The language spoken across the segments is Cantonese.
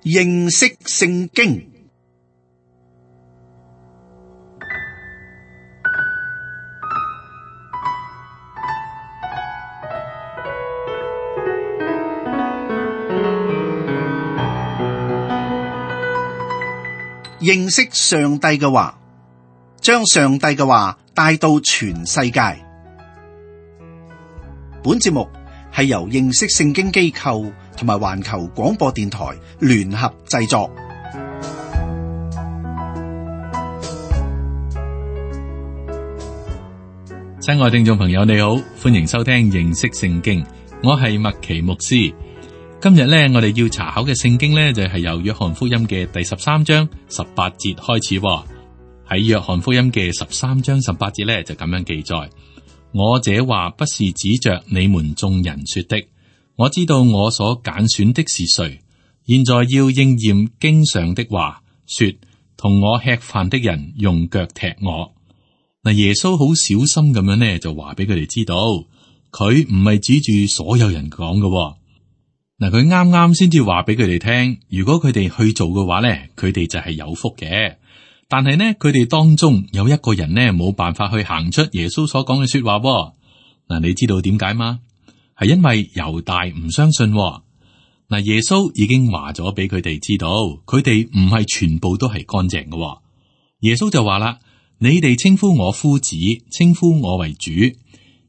認識聖經。認識上帝嘅話，將上帝嘅話帶到全世界。本節目係由認識聖經機構同埋環球廣播電台聯合製作。親愛聽眾朋友，你好，歡迎收聽認識聖經。我係麥奇牧師。今日咧，我哋要查考嘅聖經咧，就係由約翰福音嘅第13章18節開始。喺約翰福音嘅13章18節咧，就咁樣記載：我這話不是指着你們眾人說的，我知道我所揀選的是誰。現在要應驗經上的話，說同我吃飯的人用腳踢我。嗱，耶穌好小心咁樣咧，就話俾佢哋知道，佢唔係指住所有人講嘅。嗱，佢啱啱先至話俾佢哋聽，如果佢哋去做嘅話咧，佢哋就係有福嘅。但係呢，佢哋當中有一個人呢，冇辦法去行出耶穌所講嘅說話。嗱，你知道點解嗎？係因為猶大唔相信。嗱，耶穌已經話咗俾佢哋知道，佢哋唔係全部都係乾淨嘅。耶穌就話啦：你哋稱呼我夫子，稱呼我為主。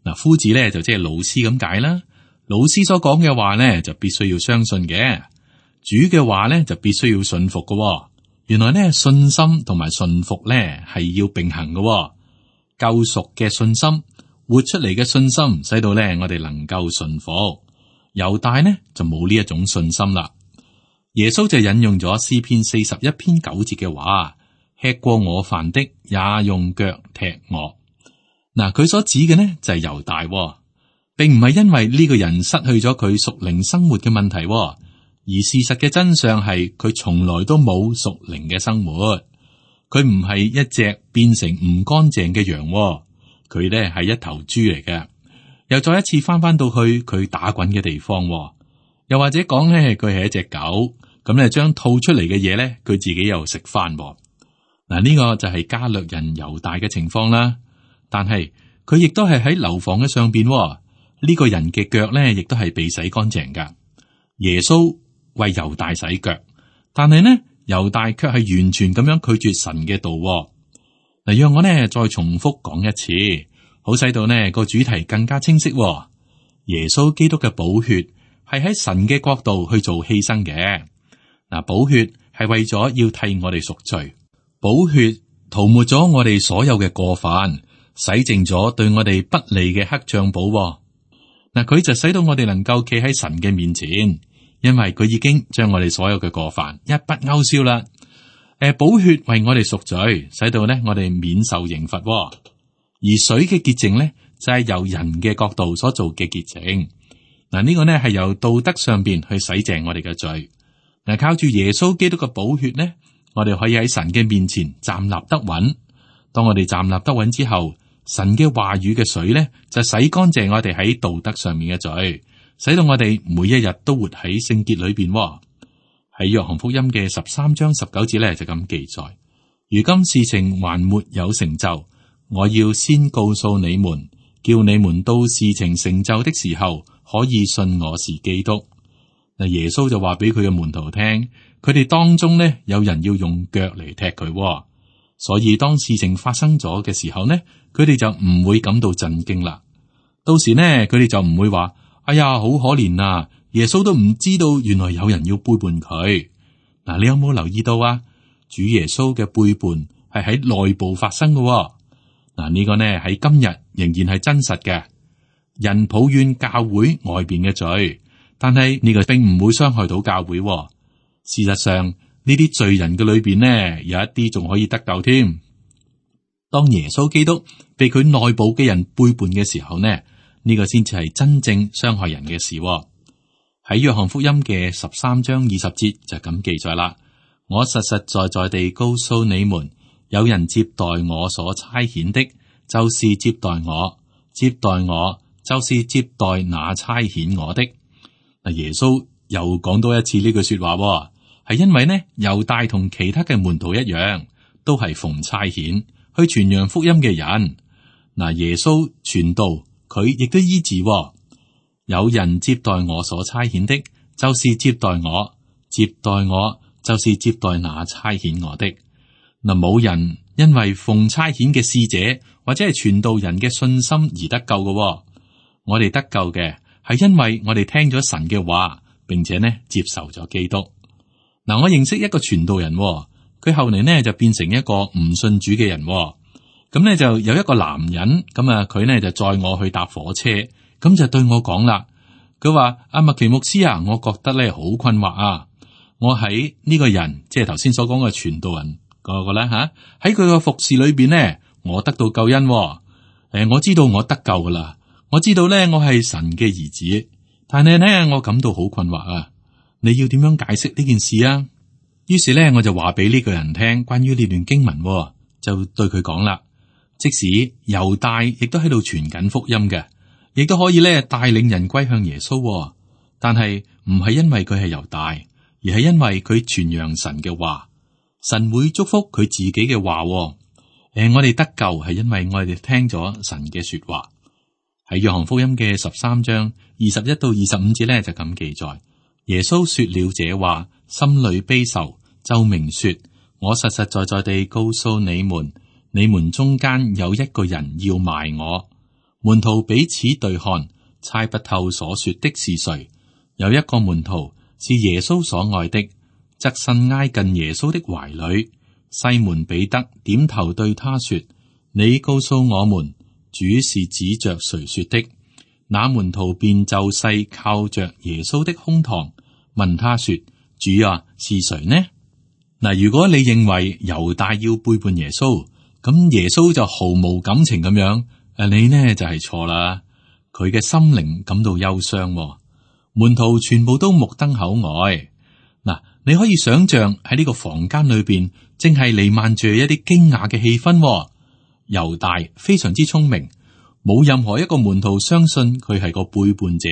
嗱，夫子咧就即係老師咁解啦。老師所講嘅話咧，就必須要相信嘅；主嘅話咧，就必須要信服嘅。原來咧，信心同埋信服咧係要並行嘅。救贖嘅信心，活出嚟嘅信心，使到咧我哋能夠信服。猶大呢就冇呢一種信心啦。耶穌就引用咗詩篇41篇9節嘅話：吃過我飯的也用腳踢我。嗱，佢所指嘅呢就係猶大。並唔係因為呢個人失去咗佢屬靈生活嘅問題，而事實嘅真相係佢從來都冇屬靈嘅生活。佢唔係一隻變成唔乾淨嘅羊，佢呢係一頭豬嚟嘅。又再一次翻到去佢打滾嘅地方，又或者講呢，佢係一隻狗，咁呢將吐出嚟嘅嘢呢，佢自己又食翻。嗱，呢個就係加略人猶大嘅情況啦。但係佢亦都係喺樓房嘅上邊。呢個人嘅腳咧，亦都係被洗乾淨噶。耶穌為猶大洗腳，但係呢，猶大卻係完全咁樣拒絕神嘅道。嗱，讓我呢再重複講一次，好使到呢個主題更加清晰。耶穌基督嘅寶血係喺神嘅國度去做犧牲嘅。嗱，寶血係為咗要替我哋贖罪，寶血塗抹咗我哋所有嘅過犯，洗淨咗對我哋不利嘅黑賬簿。嗱，佢就使到我哋能夠企喺神嘅面前，因為佢已經將我哋所有嘅過犯一筆勾銷啦。寶血為我哋贖罪，使到呢我哋免受刑罰。而水嘅潔淨呢，就係由人嘅角度所做嘅潔淨。嗱，呢個呢係由道德上邊去洗淨我哋嘅罪。嗱，靠住耶穌基督嘅寶血呢，我哋可以喺神嘅面前站立得穩。當我哋站立得穩之後，神嘅話語嘅水咧，就洗乾淨我哋喺道德上面嘅罪，使到我哋每一日都活喺聖潔裏邊。喺約翰福音嘅13章19節咧就咁記載：如今事情還沒有成就，我要先告訴你們，叫你們到事情成就的時候，可以信我是基督。嗱，耶穌就話俾佢嘅門徒聽，佢哋當中呢，有人要用腳嚟踢佢。所以當事情發生咗嘅時候呢，佢哋就唔會感到震驚啦。到時呢，佢哋就唔會話：哎呀，好可憐啊！耶穌都唔知道原來有人要背叛佢。嗱，你有冇留意到啊？主耶穌嘅背叛係喺內部發生嘅。嗱，呢個呢喺今日仍然係真實嘅。人抱怨教會外邊嘅罪，但係呢個並唔會傷害到教會。事實上，呢啲罪人嘅裏邊呢，有一啲仲可以得救添。當耶穌基督被佢內部嘅人背叛嘅時候呢，呢個先至係真正傷害人嘅事。喺約翰福音嘅13章20節就咁記載啦。我實實在在地告訴你們，有人接待我所差遣的，就是接待我；接待我，就是接待那差遣我的。嗱，耶穌又講多一次呢句說話，係因為呢，猶大同其他嘅門徒一樣，都係奉差遣去傳揚福音嘅人。嗱，耶穌傳道，佢亦都醫治。有人接待我所差遣的，就是接待我；接待我，就是接待那差遣我的。嗱，冇人因為奉差遣嘅使者或者係傳道人嘅信心而得救嘅。我哋得救嘅係因為我哋聽咗神嘅話，並且呢接受咗基督。嗱，我認識一個傳道人，佢後嚟呢就變成一個唔信主嘅人。咁呢就有一個男人，咁啊佢呢就載我去搭火車，咁就對我講啦。佢話：阿麥奇牧師啊，我覺得咧好困惑啊。我喺呢個人，即係頭先所講嘅傳道人嗰個咧吓，喺佢個服侍裏邊呢，我得到救恩。我知道我得救噶啦，我知道咧我係神嘅兒子，但係呢，我感到好困惑啊。你要點樣解釋呢件事啊？於是咧我就話俾呢個人聽關於呢段經文，就對佢講啦。即使猶大亦都喺度傳緊福音嘅，亦都可以咧帶領人歸向耶穌，但係唔係因為佢係猶大，而係因為佢傳揚神嘅話，神會祝福佢自己嘅話。我哋得救係因為我哋聽咗神嘅說話。喺約翰福音嘅13章21到25節咧就咁記載：耶穌說了這話，心裏悲愁，就明說：我實實在在地告訴你們，你們中間有一個人要賣我。門徒彼此對看，猜不透所說的是誰。有一個門徒是耶穌所愛的，側身挨近耶穌的懷裏。西門彼得點頭對他說：你告訴我們，主是指着誰說的？那門徒便就勢靠着耶穌的胸膛，問他說：主啊，是誰呢？嗱，如果你認為猶大要背叛耶穌，咁耶穌就毫無感情咁樣，你呢就係錯啦。佢嘅心靈感到憂傷，門徒全部都目瞪口呆。嗱，你可以想象喺呢個房間裏邊，正係彌漫住一啲驚訝嘅氣氛。猶大非常之聰明，冇任何一個門徒相信佢係個背叛者。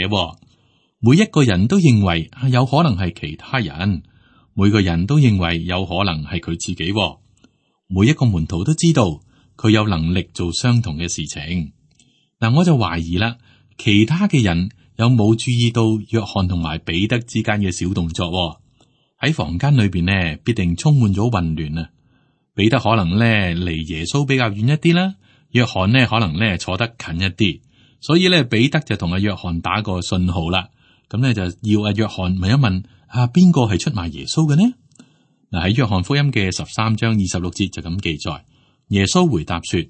每一個人都認為有可能係其他人，每個人都認為有可能係佢自己。每一個門徒都知道佢有能力做相同嘅事情。嗱，我就懷疑啦，其他嘅人有冇注意到約翰同埋彼得之間嘅小動作？喺房間裏邊呢，必定充滿咗混亂啊！彼得可能咧離耶穌比較遠一啲啦，約翰呢可能咧坐得近一啲，所以咧彼得就同阿約翰打個信號啦。咁咧就要阿約翰問一問邊個係出賣耶穌嘅呢？嗱，喺約翰福音嘅13章26節就咁記載，耶穌回答說：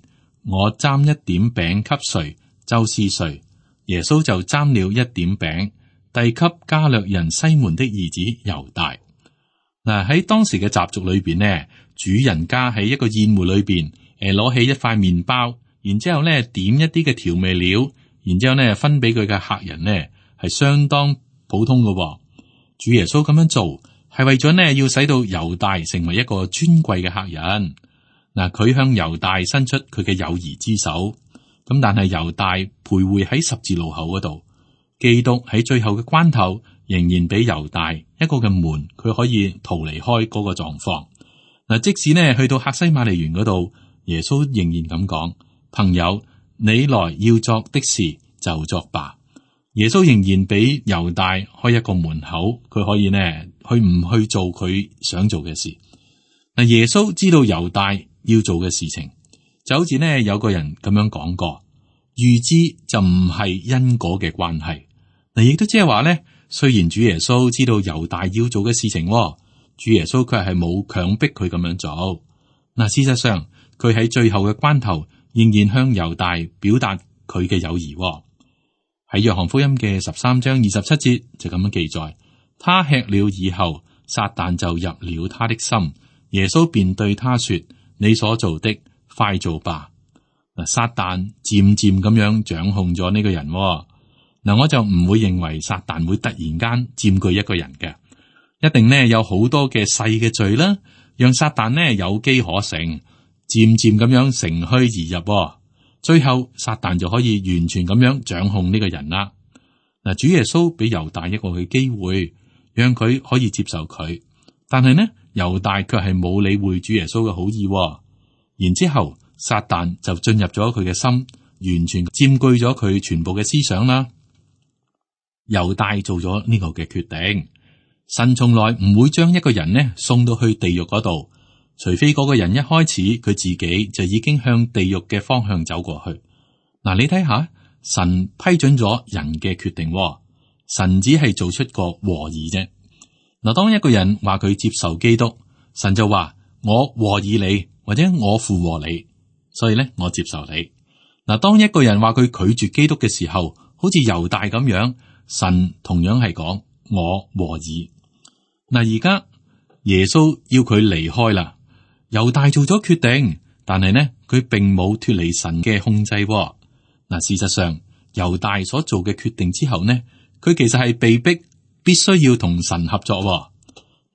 我蘸一點餅給誰，就是誰。耶穌就蘸了一點餅，遞給加略人西門的兒子猶大。嗱，喺當時嘅習俗裏邊呢，主人家喺一個宴會裏邊，攞起一塊麵包，然之後咧點一啲嘅調味料，然之後咧分俾佢嘅客人呢，係相當普通嘅。主耶穌咁樣做係為咗呢，要使到猶大成為一個尊貴嘅客人。嗱，佢向猶大伸出佢嘅友誼之手，咁但係猶大徘徊喺十字路口嗰度，基督喺最後嘅關頭仍然俾猶大一個嘅門，佢可以逃離開嗰個狀況。嗱，即使呢去到客西馬尼園嗰度，耶穌仍然咁講：朋友，你來要作的事就作吧。耶穌仍然俾猶大開一個門口，佢可以呢去唔去做佢想做嘅事。嗱，耶穌知道猶大要做嘅事情，就好似呢有個人咁樣講過：預知就唔係因果嘅關係。嗱，亦都即係話咧，雖然主耶穌知道猶大要做嘅事情，主耶穌佢係冇強迫佢咁樣做。嗱，事實上佢喺最後嘅關頭仍然向猶大表達佢嘅友誼。喺約翰福音嘅13章27節就咁樣記載：他吃了以後，撒旦就入了他的心，耶穌便對他說：你所做的，快做吧。嗱，撒旦漸漸咁樣掌控咗呢個人。嗱，我就唔會認為撒旦會突然間佔據一個人嘅，一定呢有好多嘅細嘅罪啦，讓撒旦呢有機可乘，漸漸咁樣乘虛而入。最後撒旦就可以完全咁樣掌控呢個人啦。嗱，主耶穌俾猶大一個嘅機會，讓佢可以接受佢，但係呢，猶大卻係冇理會主耶穌嘅好意喎。然之後撒旦就進入咗佢嘅心，完全佔據咗佢全部嘅思想啦。猶大做咗呢個嘅決定，神從來唔會將一個人呢送到去地獄嗰度，除非嗰個人一開始佢自己就已經向地獄嘅方向走過去。嗱，你睇下，神批准咗人嘅決定喎，神只係做出個和議啫。嗱，當一個人話佢接受基督，神就話我和議你，或者我附和你，所以咧我接受你。嗱，當一個人話佢拒絕基督嘅時候，好似猶大咁樣，神同樣係講我和議。嗱，而家耶穌要佢離開啦，猶大做咗決定，但係呢佢並冇脫離神嘅控制喎。嗱，事實上猶大所做嘅決定之後呢，佢其實係被逼必須要同神合作喎。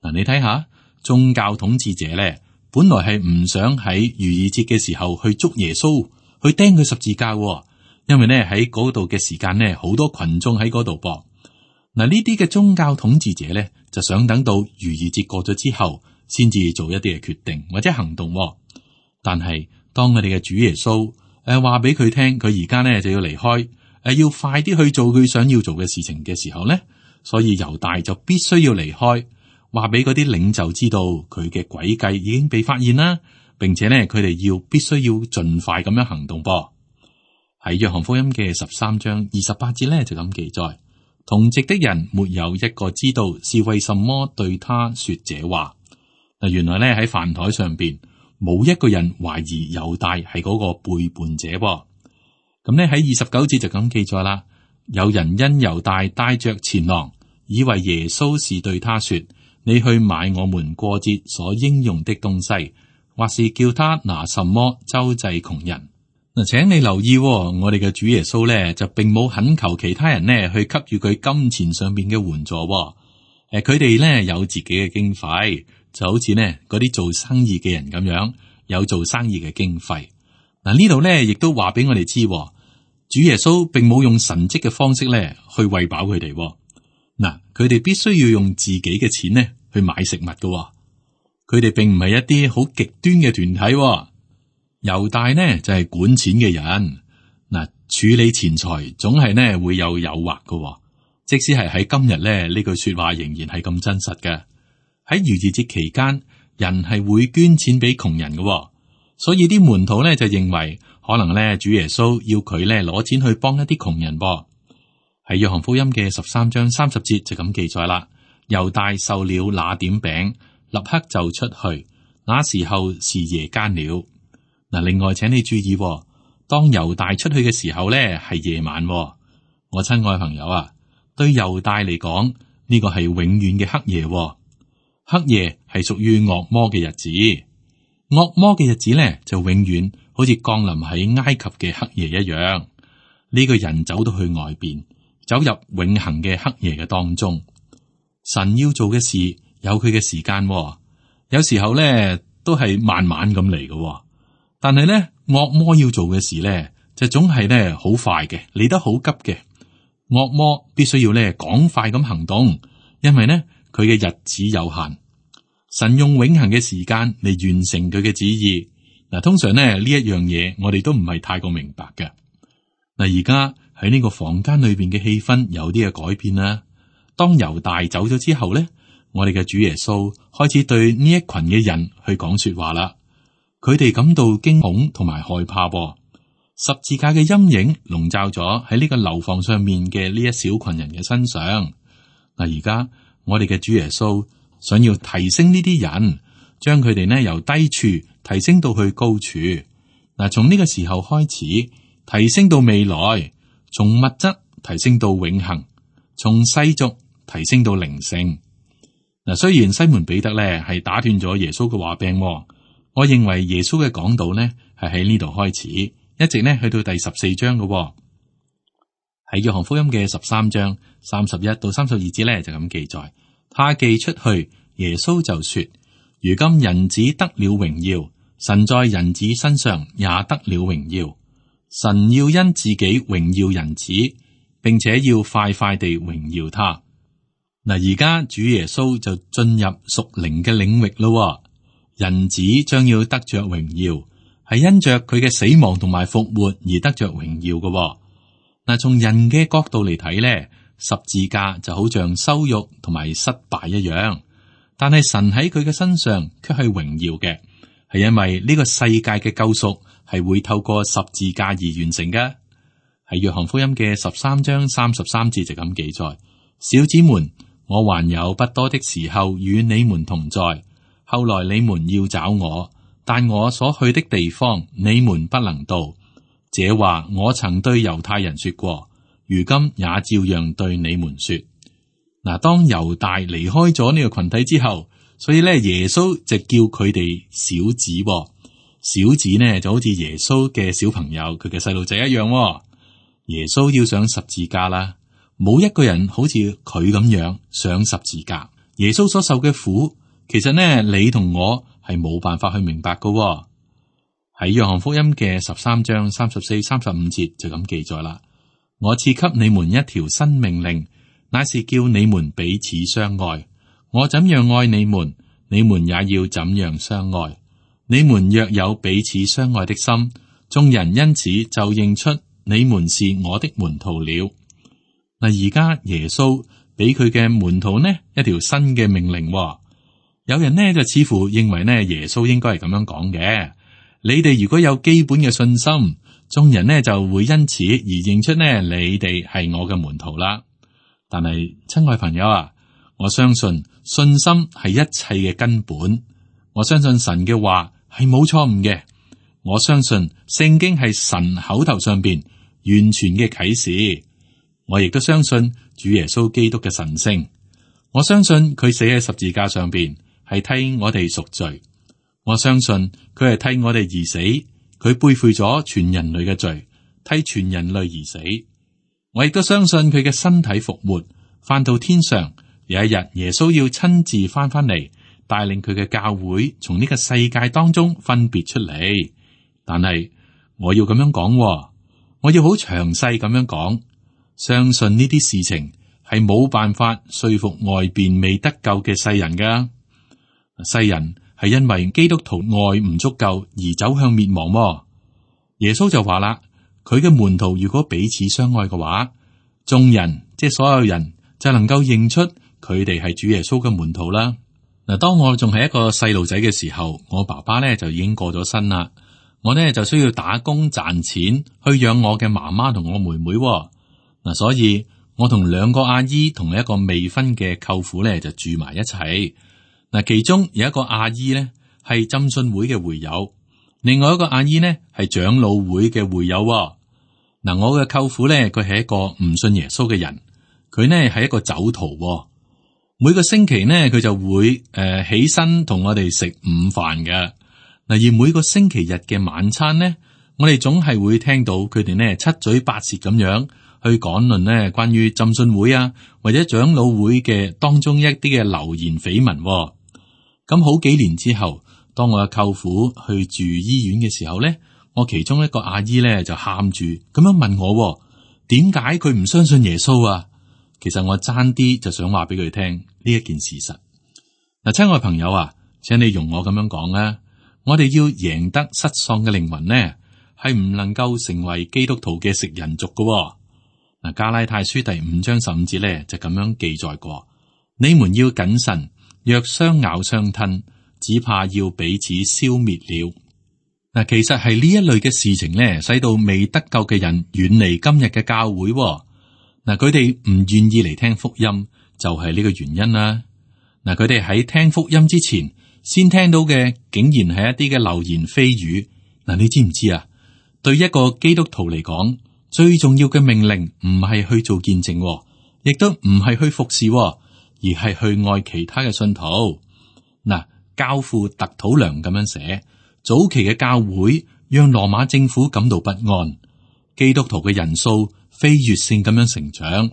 嗱，你睇下宗教統治者咧，本來係唔想喺逾越節嘅時候去捉耶穌，去釘佢十字架喎，因為呢喺嗰度嘅時間呢，好多群眾喺嗰度噃。嗱，呢啲嘅宗教統治者咧，就想等到逾越節過咗之後，先至做一啲嘅決定或者行動喎。但係當我哋嘅主耶穌話俾佢聽，佢而家呢就要離開，要快啲去做佢想要做嘅事情嘅時候咧，所以猶大就必須要離開，話俾嗰啲領袖知道佢嘅詭計已經被發現啦，並且呢佢哋必須要盡快咁樣行動噃。喺約翰福音嘅13章28節咧就咁記載，同席的人沒有一個知道是為什麼對他說這話。嗱，原來咧喺飯台上邊冇一個人懷疑猶大係嗰個背叛者噃。咁咧喺29節就咁記載啦，有人因猶大帶着錢囊，以為耶穌是對他說，你去買我們過節所應用的東西，或是叫他拿什麼周濟窮人。嗱，請你留意，我哋嘅主耶穌咧就並冇懇求其他人呢去給予佢金錢上邊嘅援助。佢哋咧有自己嘅經費，就好似呢嗰啲做生意嘅人咁樣，有做生意嘅經費。嗱，呢度咧亦都話俾我哋知，主耶穌並冇用神蹟嘅方式咧去餵飽佢哋。嗱，佢哋必須要用自己嘅錢呢去買食物嘅。佢哋並唔係一啲好極端嘅團體。猶大呢就係管錢嘅人。嗱，處理錢財總係呢會有誘惑嘅。即使係喺今日咧，呢句說話仍然係咁真實嘅。喺逾越節期間，人係會捐錢俾窮人嘅。所以啲門徒咧就認為可能咧主耶穌要佢咧攞錢去幫一啲窮人噃。喺約翰福音嘅13章30節就咁記載啦。猶大受了那點餅，立刻就出去，那時候是夜間了。嗱，另外請你注意，當猶大出去嘅時候咧係夜晚。我親愛朋友啊，對猶大嚟講呢個係永遠嘅黑夜。黑夜係屬於惡魔嘅日子，惡魔嘅日子咧就永遠好似降臨喺埃及嘅黑夜一樣。呢個人走到去外邊，走入永恆嘅黑夜嘅當中。神要做嘅事有佢嘅時間，有時候咧都係慢慢咁嚟嘅。但係咧惡魔要做嘅事咧就總係咧好快嘅，嚟得好急嘅。惡魔必須要咧趕快咁行動，因為呢佢嘅日子有限。神用永恆嘅時間嚟完成佢嘅旨意。嗱，通常咧呢一樣嘢我哋都唔係太過明白嘅。嗱，而家喺呢個房間裏邊嘅氣氛有啲嘅改變啦。當猶大走咗之後咧，我哋嘅主耶穌開始對呢一群嘅人去講說話啦。佢哋感到驚恐同埋害怕。十字架嘅陰影籠罩咗喺呢個樓房上面嘅呢一小群人嘅身上。嗱，而家我哋嘅主耶穌想要提升呢啲人，將佢哋呢由低處提升到去高處。嗱，從呢個時候開始提升到未來，從物質提升到永恆，從世俗提升到靈性。嗱，雖然西門彼得咧係打斷咗耶穌嘅話柄，我認為耶穌嘅講道呢係喺呢度開始，一直呢去到第14章嘅。喺約翰福音嘅13章31到32節咧就咁記載，他既出去，耶穌就說：如今人子得了榮耀，神在人子身上也得了榮耀。神要因自己榮耀人子，並且要快快地榮耀他。嗱，而家主耶穌就進入屬靈嘅領域咯，人子將要得着榮耀，係因着佢嘅死亡同埋復活而得着榮耀嘅。嗱，從人嘅角度嚟睇咧，十字架就好像羞辱同埋失敗一樣，但係神喺佢嘅身上卻係榮耀嘅，係因為呢個世界嘅救贖係會透過十字架而完成嘅。喺約翰福音嘅13章33節就咁記載：小子們，我還有不多的時候與你們同在，後來你們要找我，但我所去的地方你們不能到。這話我曾對猶太人說過，如今也照樣對你們說。嗱，當猶大離開咗呢個群體之後，所以咧耶穌就叫佢哋小子，小子呢就好似耶穌嘅小朋友，佢嘅細路仔一樣。耶穌要上十字架啦，冇一個人好似佢咁樣上十字架。耶穌所受嘅苦，其實呢你同我係冇辦法去明白噶。喺約翰福音嘅13章34、35節就咁記載啦。我賜給你們一條新命令，乃是叫你們彼此相愛。我怎樣愛你們，你們也要怎樣相愛。你們若有彼此相愛的心，眾人因此就認出你們是我的門徒了。嗱，而家耶穌俾佢嘅門徒呢一條新嘅命令。有人呢就似乎認為呢耶穌應該係咁樣講嘅：你哋如果有基本嘅信心，眾人呢就會因此而認出呢你哋係我嘅門徒啦。但係親愛朋友啊，我相信信心係一切嘅根本。我相信神嘅話係冇錯誤嘅。我相信聖經係神口頭上邊完全嘅啟示。我亦都相信主耶穌基督嘅神聖。我相信佢死喺十字架上邊係替我哋贖罪。我相信佢係替我哋而死，佢背負咗全人類嘅罪，替全人類而死。我亦都相信佢嘅身體復活，翻到天上。有一日耶穌要親自翻嚟，帶領佢嘅教會從呢個世界當中分別出嚟。但係我要咁樣講，我要好詳細咁樣講，相信呢啲事情係冇辦法說服外邊未得救嘅世人噶。世人係因為基督徒愛唔足夠而走向滅亡。耶穌就話啦，佢嘅門徒如果彼此相愛嘅話，眾人即係所有人就能夠認出佢哋係主耶穌嘅門徒啦。嗱，當我仲係一個細路仔嘅時候，我爸爸咧就已經過咗身啦。我呢就需要打工賺錢去養我嘅媽媽同我妹妹。嗱，所以我同兩個阿姨同一個未婚嘅舅父咧就住埋一齊。嗱，其中有一個阿姨咧係浸信會嘅會友，另外一個阿姨呢係長老會嘅會友。嗱，我嘅舅父咧佢係一個唔信耶穌嘅人，佢呢係一個酒徒。每個星期呢佢就會起身同我哋食午飯嘅。嗱，而每個星期日嘅晚餐呢，我哋總係會聽到佢哋呢七嘴八舌咁樣去講論呢關於浸信會啊或者長老會嘅當中一啲嘅流言緋聞。咁好幾年之後，當我嘅舅父去住醫院嘅時候呢，我其中一個阿姨呢就喊住咁樣問我，點解佢唔相信耶穌啊？其實我爭啲就想話俾佢聽呢一件事實。嗱，親愛朋友啊，請你容我咁樣講啊。我哋要贏得失喪嘅靈魂呢，係唔能夠成為基督徒嘅食人族㗎。嗱，加拉太書第5章15節咧就咁樣記載過：你們要謹慎，若相咬相吞，只怕要彼此消滅了。嗱，其實係呢一類嘅事情咧，使到未得救嘅人遠離今日嘅教會。嗱，佢哋唔願意嚟聽福音，就係呢個原因啦。嗱，佢哋喺聽福音之前，先聽到嘅竟然係一啲嘅流言蜚語。嗱，你知唔知啊？對一個基督徒嚟講，最重要嘅命令唔係去做見證，亦都唔係去服侍，而係去愛其他嘅信徒。嗱，教父特土良咁樣寫，早期嘅教會讓羅馬政府感到不安，基督徒嘅人數飛躍性咁樣成長。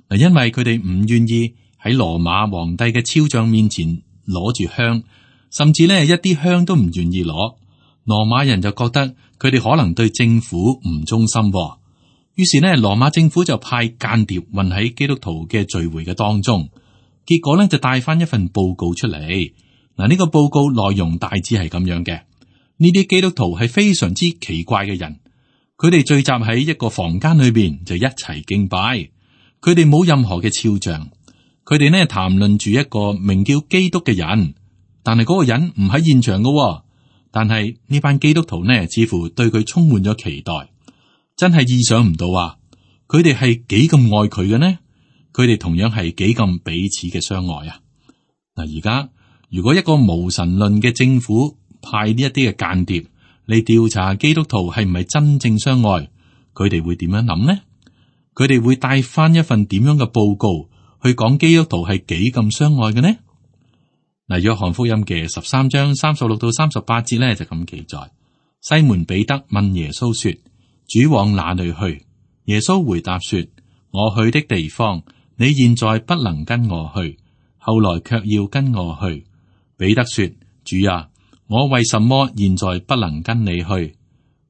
嗱，因為佢哋唔願意喺羅馬皇帝嘅肖像面前攞住香。甚至呢一啲香都唔願意攞，羅馬人就覺得佢哋可能對政府唔忠心，於是呢羅馬政府就派間諜混喺基督徒嘅聚會嘅當中，結果咧就帶翻一份報告出嚟。嗱，呢個報告內容大致係咁樣嘅。呢啲基督徒係非常之奇怪嘅人，佢哋聚集喺一個房間裏邊就一齊敬拜，佢哋冇任何嘅肖像，佢哋呢談論住一個名叫基督嘅人，但係嗰個人唔喺現場嘅，但係呢班基督徒呢似乎對佢充滿咗期待，真係意想唔到啊！佢哋係幾咁愛佢嘅呢？佢哋同樣係幾咁彼此嘅相愛啊！嗱，而家如果一個無神論嘅政府派呢一啲嘅間諜嚟調查基督徒係唔係真正相愛，佢哋會點樣諗呢？佢哋會帶翻一份點樣嘅報告去講基督徒係幾咁相愛嘅呢？嗱，約翰福音嘅13章36到38節咧就咁記載：西門彼得問耶穌說：主往哪裏去？耶穌回答說：我去的地方，你現在不能跟我去，後來卻要跟我去。彼得說：主啊，我為什麼現在不能跟你去？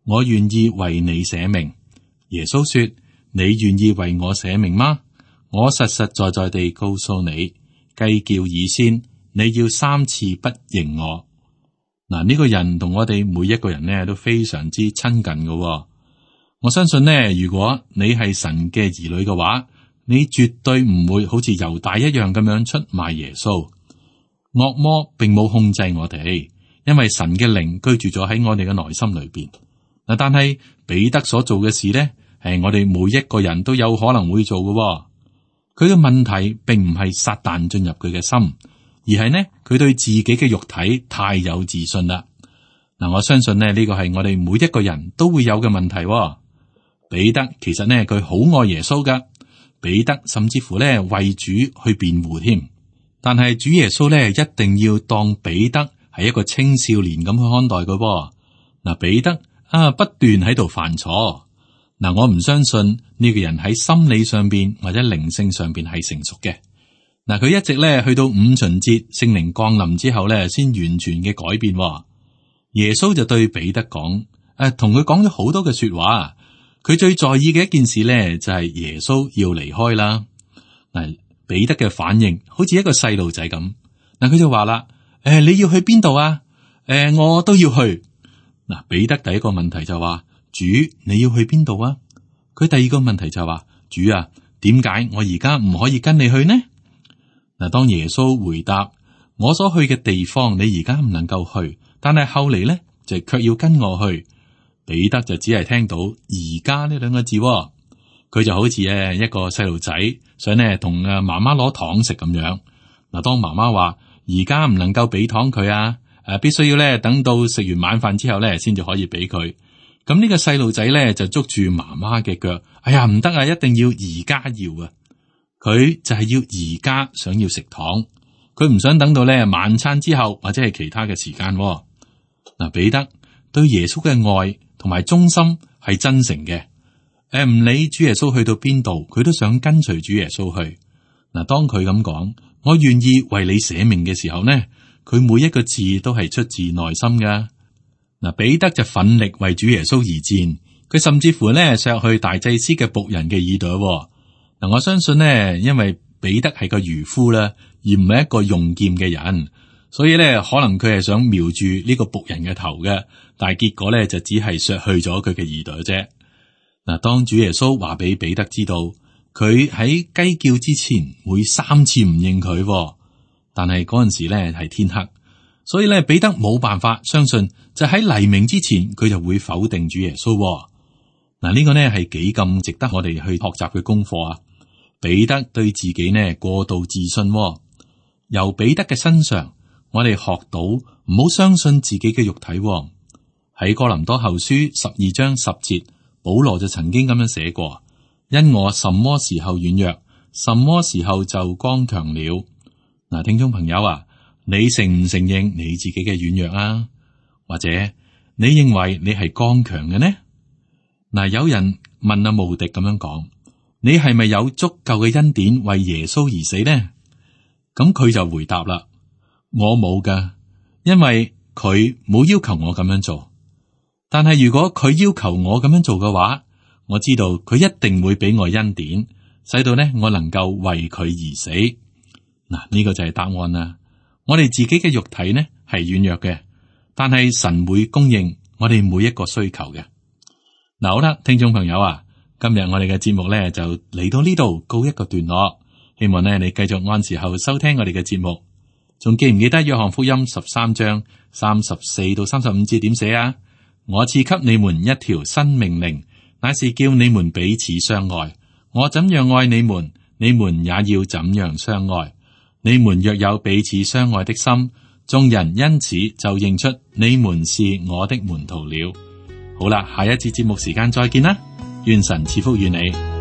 我願意為你捨命。耶穌說：你願意為我捨命嗎？我實實在在地告訴你，雞叫以先，你要3次不認我。嗱，呢個人同我哋每一個人呢都非常之親近嘅。我相信呢，如果你係神嘅兒女嘅話，你絕對唔會好似猶大一樣咁樣出賣耶穌。惡魔並冇控制我哋，因為神嘅靈居住咗喺我哋嘅內心裏邊。嗱，但係彼得所做嘅事呢，係我哋每一個人都有可能會做嘅。佢嘅問題並唔係撒旦進入佢嘅心，而係呢，佢對自己嘅肉體太有自信啦。嗱，我相信呢，呢個係我哋每一個人都會有嘅問題。彼得其實呢，佢好愛耶穌噶，彼得甚至乎呢為主去辯護添。但係主耶穌呢，一定要當彼得係一個青少年咁去看待佢。嗱，彼得不斷喺度犯錯。嗱，我唔相信呢個人喺心理上邊或者靈性上邊係成熟嘅。嗱，佢一直咧去到五旬節聖靈降臨之後咧，先完全嘅改變。耶穌就對彼得講，同佢講咗好多嘅說話。佢最在意嘅一件事咧，就係耶穌要離開啦。嗱，彼得嘅反應好似一個細路仔咁。嗱，佢就話啦：你要去邊度啊？我都要去。嗱，彼得第一個問題就話：主，你要去邊度啊？佢第二個問題就話：主啊，點解我而家唔可以跟你去呢？嗱，當耶穌回答：我所去嘅地方，你而家唔能夠去，但係後嚟咧就卻要跟我去。彼得就只係聽到而家呢兩個字，佢就好似一個細路仔想呢同媽媽攞糖食咁樣。嗱，當媽媽話而家唔能夠俾糖佢啊，必須要咧等到食完晚飯之後咧先至可以俾佢。咁呢個細路仔咧就捉住媽媽嘅腳，哎呀，唔得啊，一定要而家要啊！佢就係要而家想要食糖，佢唔想等到咧晚餐之後或者係其他嘅時間。嗱，彼得對耶穌嘅愛同埋忠心係真誠嘅，唔理主耶穌去到邊度，佢都想跟隨主耶穌去。嗱，當佢咁講，我願意為你捨命嘅時候呢，佢每一個字都係出自內心噶。嗱，彼得就奮力為主耶穌而戰，佢甚至乎呢削去大祭司嘅僕人嘅耳朵。嗱，我相信呢，因為彼得係個漁夫啦，而唔係一個用劍嘅人，所以咧可能佢係想瞄住呢個僕人嘅頭嘅，但係結果咧就只係削去咗佢嘅耳朵啫。嗱，當主耶穌話俾彼得知道佢喺雞叫之前會3次唔認佢，但係嗰陣時咧係天黑，所以咧彼得冇辦法相信，就喺黎明之前佢就會否定主耶穌。嗱，呢個呢係幾咁值得我哋去學習嘅功課啊！彼得對自己呢過度自信，由彼得嘅身上，我哋學到唔好相信自己嘅肉體。喺哥林多後書12章10節，保羅就曾經咁樣寫過：因我什麼時候軟弱，什麼時候就剛強了。嗱，聽眾朋友啊，你承唔承認你自己嘅軟弱啊？或者你認為你係剛強嘅呢？嗱，有人問阿慕迪咁樣講：你係咪有足夠嘅恩典為耶穌而死呢？咁佢就回答啦：我冇噶，因為佢冇要求我咁樣做。但係如果佢要求我咁樣做嘅話，我知道佢一定會俾我恩典，使到呢我能夠為佢而死。嗱，呢個就係答案啦。我哋自己嘅肉體呢係軟弱嘅，但係神會供應我哋每一個需求嘅。嗱，好啦，聽眾朋友啊，今日我哋嘅節目呢就嚟到呢度告一個段落。希望呢你繼續按時候收聽我哋嘅節目。仲記唔記得約翰福音13章34到35節點寫啊？我賜給你們一條新命令，乃是叫你們彼此相愛。我怎樣愛你們，你們也要怎樣相愛。你們若有彼此相愛的心，眾人因此就認出你們是我的門徒了。好啦，下一次節目時間再見啦，願神賜福與你。